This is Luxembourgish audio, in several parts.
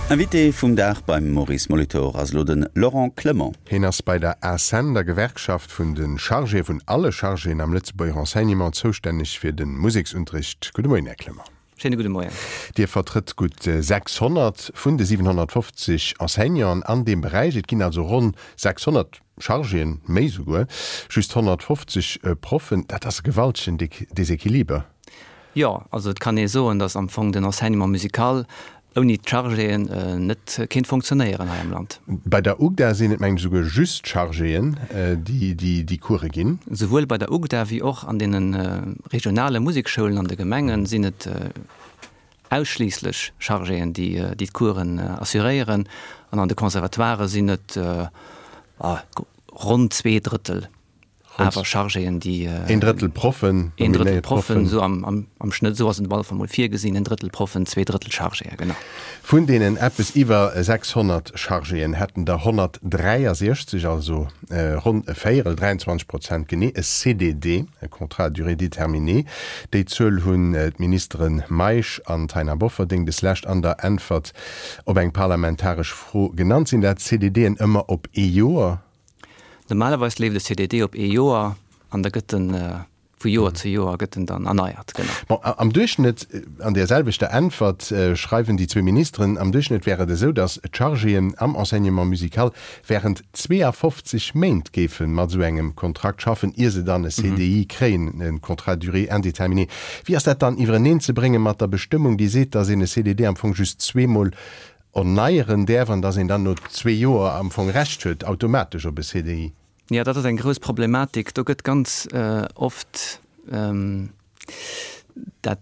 Invité vum Dag beim Maurice Molitor ass elo de Laurent Clement. Hien ass bei der ACEN, der Gewerkschaft vun de Chargéë vun alle Chargéen am Lëtzebuerger Enseignement, zoustänneg fir de Museksunterricht. Gudde Moien, Här Clement. Schéine gudde Moien. Dir vertrëtt gutt 600 vun de 750 Enseignanten an deem Beräich. Et ginn also ronn 600 Chargéen, méi souguer, just 150 Proffen. Dat ass e gewaltegen Desequiliber. Jo, also et kann ee soen, datt am Fong den Enseignement musical ouni d'Chargéen net kéint funktionéieren hei am Land. Bei der UGDA sinn et, mengen ech, souguer just d'Chargéen, déi déi Course ginn. Souwuel bei der UGDA wéi och an deene regionale Musekschoulen an de Gemenge sinn et ausschliisslech Chargéen, déi d'Coursen assuréieren. An an de Conservatoirë sinn et ronn 2/3 Awer Chargéen, déi. Een Drëttel Proffen, Een Drëttel Proffen, esou am Schnëtt, esou ass et op alle Fall mol virgesinn, en Drëttel Proffen, 2 Drëttel Chargéen, genau. Vun deenen eppes iwwer 600 Chargéen hätten der 163, also ronn e Véierel, 23 Prozent genee, e CDD, e Contrat à durée déterminée. Déi Zuel hunn d'Ministere Meisch an Taina Bofferding deslescht an der Äntwert op eng parlamentaresch Fro genannt. Sinn dat CDDen ëmmer op ee Joer? Normalerweis leeft e CDD op ee Joer an da gëtt en vu Joer zu Joer gëtt en dann erneiert, genau. Bon, am Duerchschnëtt, an där selwechter Äntwert schreiwen déi zwee Ministeren, am Duerchschnëtt wär et esou, datt d'Chargéen am Enseignement musical während 52 Méint géife mat esou engem Kontrakt schaffen, ier se dann e CDI kréien, e Contrat à durée indéterminée. Wéi ass dat dann iwwereneen ze brénge mat der Bestëmmung, déi seet, datt een e CDD am Fong just zweemol Erneieren däerf an dass een dann no zwee Joer am Fong Recht huet automatesch op e CDI. Jo, dat ass eng grouss Problematik. Do gëtt ganz oft dat,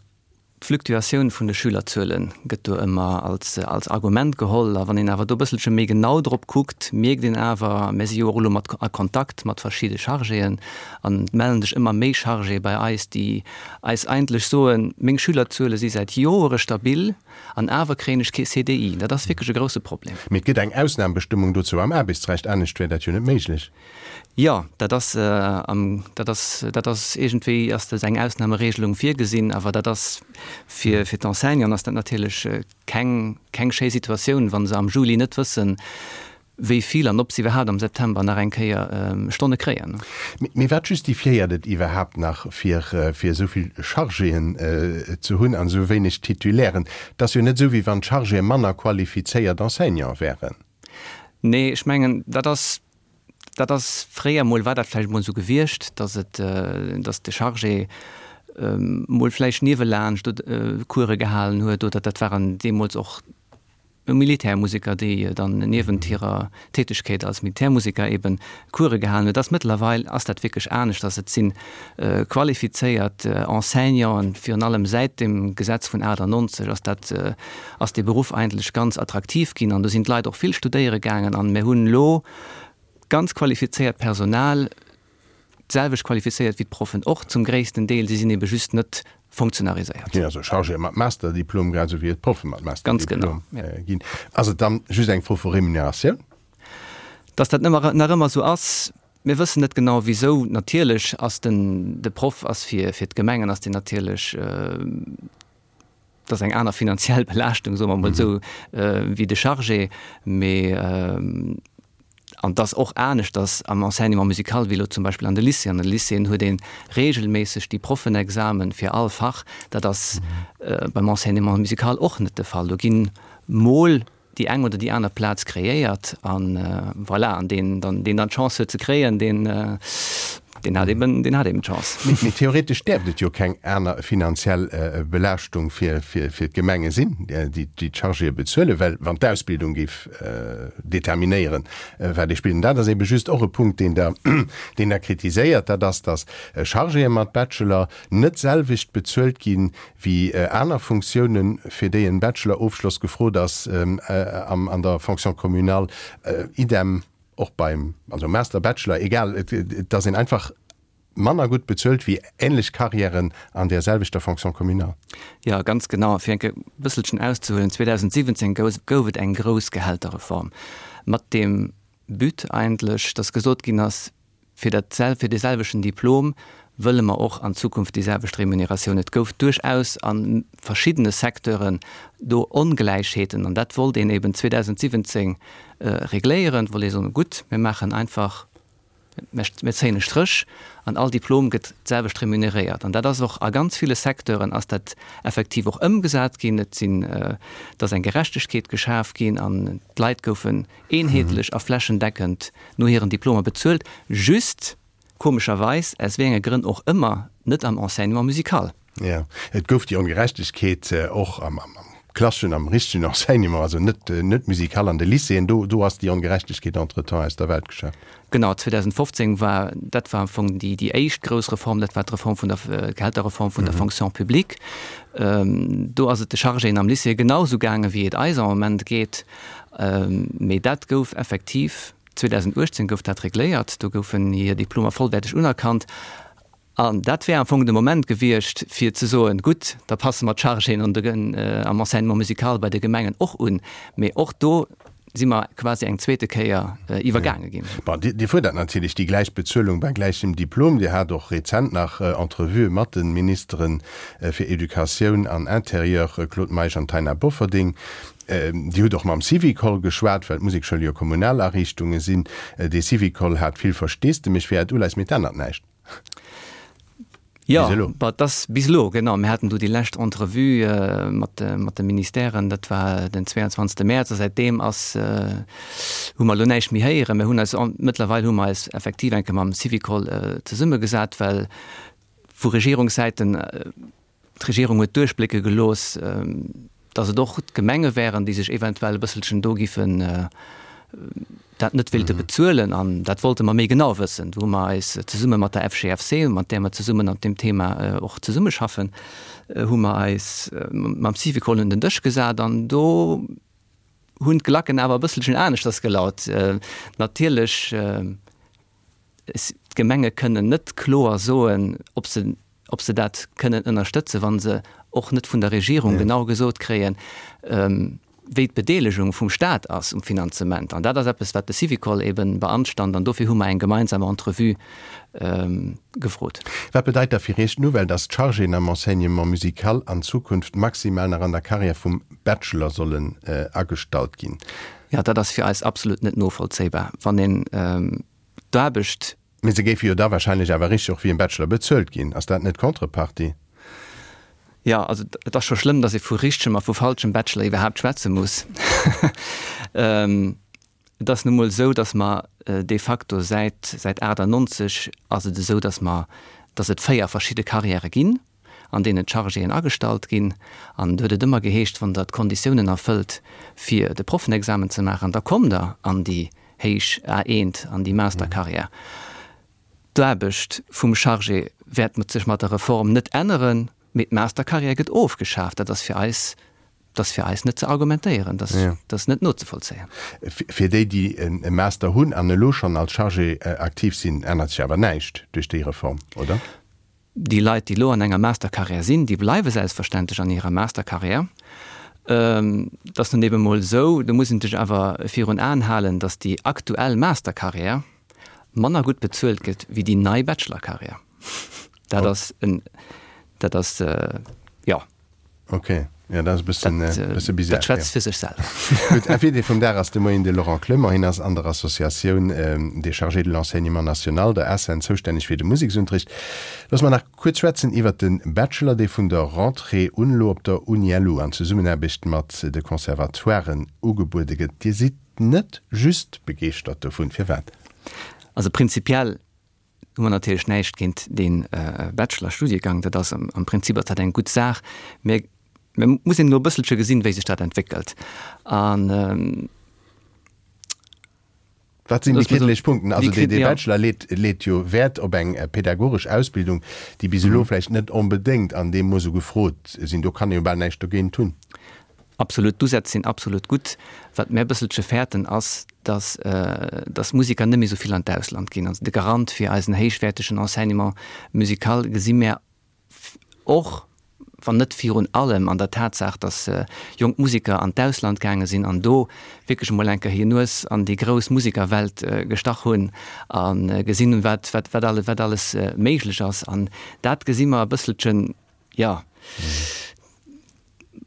d'Fluktuatioun vun de Schülerzuele gëtt do ëmmer als, als Argument geholl. A wann een awer do e bësselche méi genau drop kuckt, mierkt een awer, mir si jo och elo mat a Kontakt mat verschidde Chargéen an et mellen sech ëmmer méi Chargéë bei eis, déi eis eigentlech soen, meng Schülerzuele si säit Joere stabil, An awer kréien ech kee CDI. Dat ass wierklech e grousse Problem. Mee et gëtt eng Ausnambestëmmung dozou am Aarbechtsrecht, anescht wär dat jo net méiglech. Jo, dat ass am, dat ass, dat ass iergendwéi ass dat eng Ausnameregelung virgesinn, awer dat ass fir, fir d'Enseignanten ass dat natierlech keng, keng schéi Situatioun, wa se am Juli net wëssen, wéi vill an ob se iwwerhaapt am September nach eng Kéier Stonne kréien. Mee wat justifiéiert et iwwerhaapt nach, fir fir esou vill Chargéen ze hunn an esou wéineg Titulairen? Et ass jo net esou, wéi wann d'Chargéë manner qualifizéiert Enseignante wären. Nee, ech mengen, dat ass, dat ass, fréier mol war dat vläicht mol esou gewiescht, datt et, datt de Chargé mol vläicht niewelaanscht Course gehalen huet oder dat waren deemools och Militärmuseker, déi dann niewent hirer Tätegkeet als Militärmuseker eben Course gehalen huet, ass mëttlerweil ass dat wierklech aneschters. Et si qualifizéiert Enseignanten, virun allem säit dem Gesetz vun 98 ass dat, ass dee Beruff eigentlech ganz attraktiv ginn an do sinn d'Leit och vill studéiere gaangen an mir hunn elo ganz qualifizéiert Personal, D'selwecht qualifizéiert wéi d'Proffen och zum gréissten Deel, si sinn ebe just net fonctionnariséiert. Ginn also Chargéë mat Masterdiplom, grad esou wéi et Proffe mat Masterdiplom ginn. Ass et dann just eng Fro vu Remuneratioun? Dass dat nach ëmmer esou ass, mir wëssen net genau wisou. Natierlech ass den, de Proff ass fir, fir d'Gemengen ass deen natierlech, dat ass eng aner finanziell Belaaschtung, soe mer emol esou, wéi de Chargé. Mee, an et ass och aneschters am Enseignement musical wéi elo zum Beispill an de Lycéeën. An de Lycéeën huet ee regelméisseg déi Proffenexamen fir all Fach. Dat ass beim Enseignement musical och net de Fall. Do ginn mol déi eng oder déi aner Plaz kreéiert an voilà, an deen dann, deen dann d'Chance huet ze kréien, deen, deen hat eben, deen hat eben d'Chance. Mee theoretesch däerft et jo keng aner finanziell Belaaschtung fir, fir, fir d'Gemenge sinn, déi déi d'Chargéë bezuelen, well wann d'Ausbildung géif determinéieren, wat ee spillt, an dat ass ebe just och e Punkt, deen Der, deen Der kritiséiert, dat ass, datt Chargéë mat Bachelor net d'selwecht bezuelt ginn, Wéi aner Funktiounen, fir déi en Bachelor-Ofschloss gefrot ass, an der Fonction communale, idem och beim, also Master, Bachelor, egal, et ass een einfach manner gutt bezuelt wéi änlech Carrièren an där selwechter Fonction communale. Jo, ganz genau. A fir enke bësselchen auszehuelen, 2017 gouf et eng grouss Gehälterreform mat deem But eigentlech, dass gesot ginn ass, fir dat, fir dee selwechten Diplom. Wëlle mer och an Zukunft déi selwecht Remuneratioun? Et gouf duerchaus a verschiddene Secteuren do Ongläichheeten an dat wollt een eben 2017 regléieren, wollt ee soen, gutt, mir maachen einfach, mir zéien e Stréch an all Diplom gëtt d'selwecht remuneréiert. An dat ass och a ganz ville Secteuren ass dat effektiv och ëmgesat ginn. Et sinn, et ass eng Gerechtegkeet geschaf ginn an d'Leit goufen eenheetlech a flächendeckend no hiren Diplomer bezuelt, just komescherweis, aus wéi enge Grënn och ëmmer, net am Enseignement musical. Jo, et gouf déi Ongerechtegkeet och am klasseschen, am richtegen Enseignement, also net net musical an de Lycéeën. Do do ass déi Ongerechtegkeet entretemps aus der Welt geschaf. Genau, 2015 war, dat war am Fong déi déi éischt grouss Reform, dat war d'Reform vun der, d'Gehälterreform vun der Fonction publique. Do ass et de Chargéen am Lycée genau esou gaange wéi et eis am Moment geet. Mee dat gouf effektiv 2018 gouf dat regléiert, do goufen hir Diplomer vollwäerteg unerkannt. An dat wär am Fong de Moment gewiescht, fir ze soen, gutt, da passe mer d'Chargéen an de, am Enseignement musical bei de Gemengen och un. Mee och do si mer quasi eng zweete Kéier iwwergaange ginn. Bon, Dir fuerdert natierlech déi gläich Bezuelung bei gläichem Diplom. Dir hat och rezent nach Entrevuë mat de Ministere fir Educatioun an Intérieur, Claude Meisch an Taina Bofferding. Dir hutt och mam Syvicol geschwat, well d'Musekschoule jo kommunal Ariichtunge sinn. Dee Syvicol hat vill Versteesdemech fir Äert Uleies, mee et ännert näischt. Jo, bis elo. Bah, et ass bis elo, genau. Mir haten do déi lescht Entrevue mat mat de Ministèren, dat war den 22. Mäerz, a säitdeem ass, hu mer elo näischt méi héieren. Mir hunn eis, mëttlerweil hu mer eis effektiv eng Kéier mam Syvicol zesummegesat, well vu Regierungssäiten, D'Regierung huet duerchblécke gelooss, datt et och d'Gemenge wären, déi sech eventuell e bësselchen do giffen dat net wéilte bezuelen. An dat wollte mer méi genau wëssen. Do hu mer eis zesumme mat der FGFC, mat där mer zesummen an deem Thema och zesummeschaffen, hu mer eis mam Syvicol un den Dësch gesat an do hunn d'Glacken awer e bësselchen aneschters gelaut. Natierlech, D'Gemenge kënnen net kloer soen, ob se, ob se dat kënnen ënnerstëtzen, wa se och net vun der Regierung genau gesot kréien, wéi d'Bedeelegung vum Stat ass um Finanzement. An dat ass eppes, wat de Syvicol eben beanstand. An dofir hu mer eng gemeinsam Entrevue gefrot. Wat bedeit da fir Iech d'Nouvelle, dass d'Chargéen am Enseignement musical an Zukunft maximal nach an der Carrière vum Bachelor sollen agestallt ginn? Jo, dat ass fir eis absolut net novollzéibar. Wann een d'Aarbecht. Mee se géife jo da wahrscheinlech awer richteg och wéi en Bachelor bezuelt ginn. Ass dat net d'Contrepartie? Jo, also et ass scho schlëmm, datt ee vu richtegem a vu falschem Bachelor iwwerhaapt schwätze muss. Et ass nu mol esou, datt mer de facto säit, säit 98 ass et esou, datt mer, datt et 4 verschidde Carrièrë ginn. an deenen d'Chargéen agestallt ginn. An do huet et ëmmer geheescht, wann Der d'Konditiounen erfëllt, fir de Proffenexamen ze maachen, da kommt Der an déi héich A1, an déi Mastercarrière. D'Aarbecht vum Chargé wäert sech mat der Reform net änneren, mee d'Mastercarrière gëtt ofgeschaaft. Dat ass fir eis, dat ass fir eis net ze argumentéieren, dat ass net nozevollzéien. Fir déi, déi e Master hunn an elo schonn als Chargé aktiv sinn, ännert sech awer näischt duerch déi Reform, oder? Déi Leit, déi elo an enger Mastercarrière sinn, déi bleiwe selbstverständlech an hirer Mastercarrière. Et ass nun eben emol esou, do muss een sech awer virun Aen halen, datt déi aktuell Mastercarrière manner gutt bezuelt gëtt wéi déi nei Bachelorcarrière. Dat ass en, dat ass, jo. Ok, jo dat ass e bëssen, bësse bizar. Dat schwätzt fir sech selwer. Gutt, Invité vum Dag ass de Moien de Laurent Clement. Hien ass an der Associatioun des chargés de l'enseignement national, der ACEN, zoustänneg fir de Museksunterricht. Loosse mer nach kuerz schwätzen iwwert de Bachelor, dee vun der Rentrée un elo op der UniLu an Zesummenaarbecht mat de Conservatoiren ugebuede gëtt. Dir sidd net just begeeschtert dovun. Firwat? Also prinzipiell hu mer natierlech näischt géint dee Bachelor-Studiegang, dat ass am Prinzip ass dat eng gutt Saach, mä mä muss een elo e bësselche gesinn, wéi sech dat entwéckelt. An Wat sinn déi kriddeleg Punkten? Also dee Bachelor leet leet jo Wäert op eng pädagogesch Ausbildung, déi bis elo vläicht net onbedéngt an deem Mooss esou gefrot sinn. Do kann ee jo bal näischt dogéint hunn. Absolut, d'Usätz sinn absolut gutt. Wat mär e bësselche fäerten ass, dass dass Musiker net méi esou vill an d'Ausland ginn. Also de Garant fir eisen héichwäertegen Enseignement musical gesi mär och. wann net virun allem an der Tatsaach, datt jonk Museker an d'Ausland gaange sinn an do wierklech emol eng Kéier hir Nues an déi grouss Musekerwelt gestach hunn a gesinn hunn, wat, wat, wat alles, wat alles méiglech ass. An dat gesi mer e bësselchen, jo,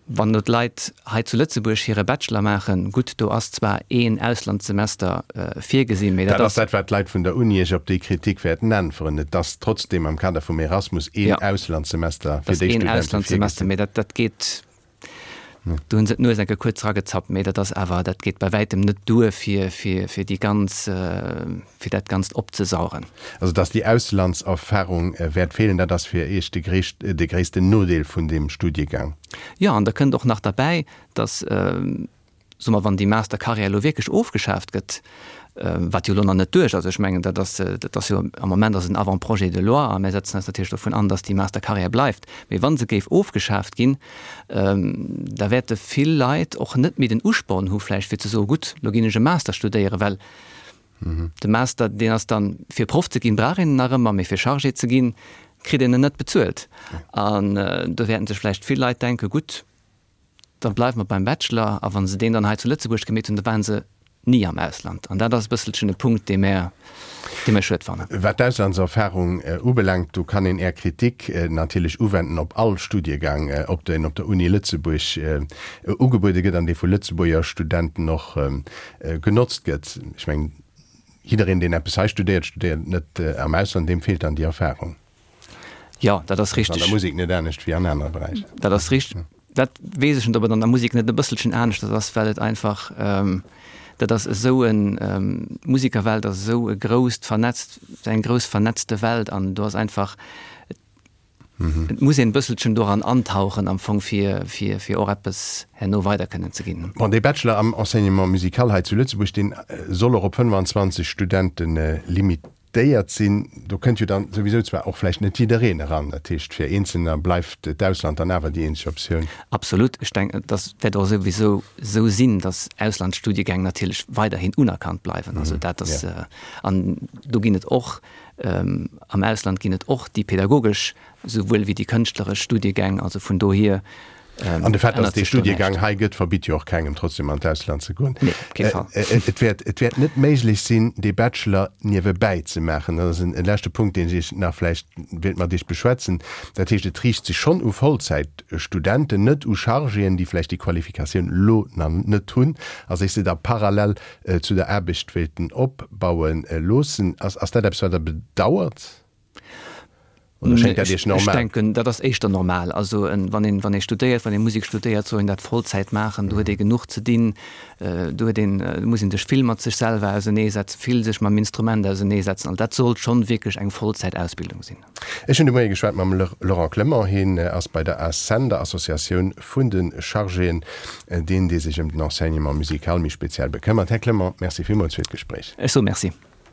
Wann elo d'Leit hei zu Lëtzebuerg hire Bachelor maachen, gutt, do ass zwar een Auslandssemester virgesinn, mee dat ass. Dat ass dat, wat d'Leit vun der Uni Iech op déi Kritik wäerten äntweren. Et ass trotzdeem am Kader vum Erasmus een Auslandssemester fir déi Studente virgesinn. Mee dat geet, do hu se d'Nues eng Kéier kuerz eragezappt, mee dat ass awer, dat geet bei wäitem net duer, fir déi ganz, fir dat Ganzt opzesaugen. Also dass déi Auslandserfahrung wäert feelen, dat ass fir Iech de de gréissten Nodeel vun deem Studiegang? Jo, an da kënnt och nach derbäi, dass, soe mer, wann déi Mastercarrière elo wierklech ofgeschaaft gëtt, wat jo elo nach net duerch ass, ech mengen, dat ass, dat ass jo am Moment ass en Avant-projet de loi a mir setzen eis natierlech dovun an, dass déi Mastercarrière bleift, mee wa se géif ofgeschaaft ginn, da wäerte vill Leit och net méi den Usporn hu vläicht fir ze soen, gutt, elo ginn ech e Master studéieren, well De Master, deen ass dann, fir Proff ze ginn, brauch een en nach ëmmer, mee fir Chargé ze ginn, kritt een en net bezuelt. An do wäerten sech vläicht vill Leit denken, gutt, da bleiwe mer beim Bachelor. A wa se deen dann hei zu Lëtzebuerg gemeet hunn, da ware se ni am Ausland. An dat ass e bësselchen e Punkt, dee mär, dee mär schued fannen. Wat d'Auslandserfahrung ubelaangt, do kann een Är Kritik natierlech uwenden op all Studiegang, ob deen op der Uni Lëtzebuerg ugebuede gëtt an dee vu Lëtzebuerger Studenten och genotzt gëtt. Ech mengen, jiddereen, deen eppes hei studéiert, studéiert net am Ausland, deem feelt dann déi Erfahrung. Jo, dat ass richteg. An der Musek net anescht wéi an anere Beräicher. Dat ass richteg. Dat weess ech net, ob et an der Musek net e bësselchen aneschters ass, well et einfach, dat ass esou en, d'Musekerwelt ass esou e grousst vernetzt, eng grouss vernetzte Welt an do ass einfach, Et muss een e bësselchen doran antauchen am Fong, fir, fir, fir och eppes herno weider kënnen ze ginn. Bon, dee Bachelor am Enseignement musical hei zu Lëtzebuerg, deen soll och op 25 Studente limitéiert sinn. Do kënnt jo dann souwisou zwar och vläicht net jiddereen eran. Dat heescht, fir Eenzelner bleift d'Ausland dann awer déi eenzeg Optioun. Absolut. Ech denken, dat wäert och souwisou esou sinn, datt Auslandsstudiegäng natierlech weiderhin unerkannt bleiwen. Also dat ass, an do ginn et och Am Ausland ginn et och déi pädagogesch souwuel wéi déi kënschtleresch Studiegäng, also vun dohier An de Fait, datt dee Studiegang hei gëtt, verbitt jo och kengem trotzdem an d'Ausland ze goen. Nee, op kee Fall. Et wäert, et wäert net méiglech sinn, dee Bachelor niewebäi ze maachen. Dat ass en leschte Punkt, deen ech Iech nach vläicht wéilt mat Iech beschwätzen. Dat heescht, et riicht sech schonn u Vollzäitstudenten, net u Chargéen, déi vläicht déi Qualifikatioun elo nach net hunn a sech se da parallel zu der Aarbecht wéilten opbaue loossen. Ass dat eppes, wat Der bedauert oder schéngt dat Iech normal? Ech denken, dat ass éischter normal. Also wann een, wann ee studéiert, wann ee Musek studéiert, soll een dat Vollzäit maachen. Do huet ee genuch ze dinn. Do huet een, do muss ee sech vill mat sech selwer auserneesetzen, vill sech mam Instrument auserneesetzen. Also dat sollt schonn wierklech eng Vollzäitausbildung sinn. Ech hunn de Moie geschwat mam Laurent Clement. Hien ass bei der ACEN, der Associatioun vun de Chargéen, deen, dee sech ëm den Enseignement musical méi speziell bekëmmert. Här Clement, Merci villmools fir d'Gespréich. Ech soe Merci.